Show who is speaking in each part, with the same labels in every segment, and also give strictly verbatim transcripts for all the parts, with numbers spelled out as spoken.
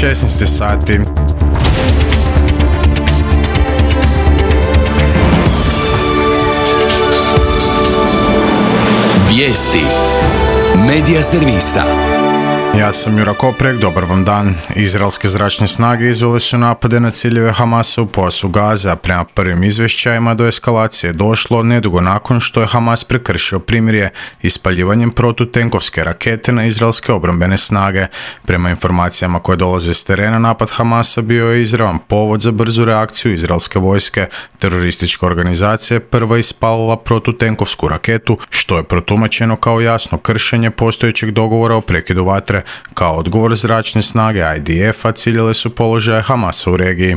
Speaker 1: šesnaest sati.
Speaker 2: Vijesti Medija servisa.
Speaker 1: Ja sam Jura Koprek, dobar vam dan. Izraelske zračne snage izvele su napade na ciljeve Hamasa u pojasu Gaze, a prema prvim izvješćajima do eskalacije je došlo nedugo nakon što je Hamas prekršio primirje ispaljivanjem protutenkovske rakete na izraelske obrambene snage. Prema informacijama koje dolaze s terena, napad Hamasa bio je izravan povod za brzu reakciju izraelske vojske. Teroristička organizacija je prva ispalila protutenkovsku raketu, što je protumačeno kao jasno kršenje postojećeg dogovora o prekidu vatre. Kao odgovor, zračne snage I D F-a ciljale su položaje Hamasa u regiji.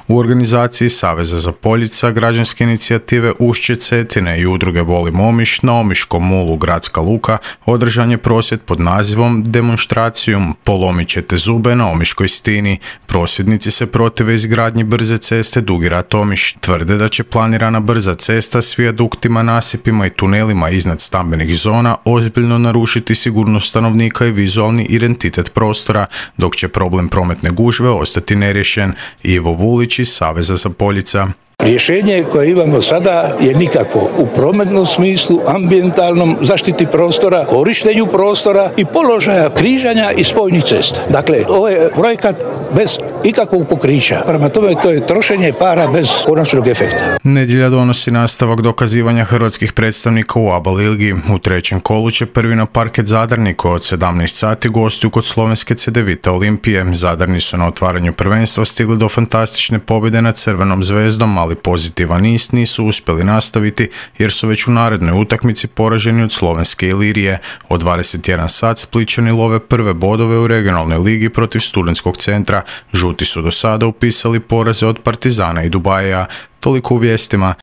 Speaker 1: U organizaciji Saveza za Poljica, građanske inicijative Ušće Cetine i udruge Volim Omiš na Omiškom mulu Gradska Luka održan je prosvjed pod nazivom Demonstracijom Polomit ćete zube na Omiškoj stini. Prosvjednici se protive izgradnji brze ceste Dugi Rat Omiš. Tvrde da će planirana brza cesta s vijaduktima, nasipima i tunelima iznad stambenih zona ozbiljno narušiti sigurnost stanovnika i vizualni identitet prostora, dok će problem prometne gužve ostati neriješen. Ivo Vulić iz Saveza za Poljica.
Speaker 3: Rješenje koje imamo sada je nikakvo u prometnom smislu, ambijentalnom, zaštiti prostora, korištenju prostora i položaja križanja i spojnih cesta. Dakle, ovo je projekat bez ikakvog pokrića. Prema tome, to je trošenje para bez konačnog efekta.
Speaker 1: Nedjelja donosi nastavak dokazivanja hrvatskih predstavnika u A B A ligi. U trećem kolu će prvi na parket Zadarni koji od sedamnaest sati gostuju kod slovenske Cedevita Olimpije. Zadarni su na otvaranju prvenstva stigli do fantastične pobjede nad Crvenom zvezdom, ali pozitivan niz nisu uspjeli nastaviti jer su već u narednoj utakmici poraženi od slovenske Ilirije. Od dvadeset jedan sat Splićani love prve bodove u regionalnoj ligi protiv Studentskog centra. Žuti su do sada upisali poraze od Partizana i Dubaja. Toliko u vijestima.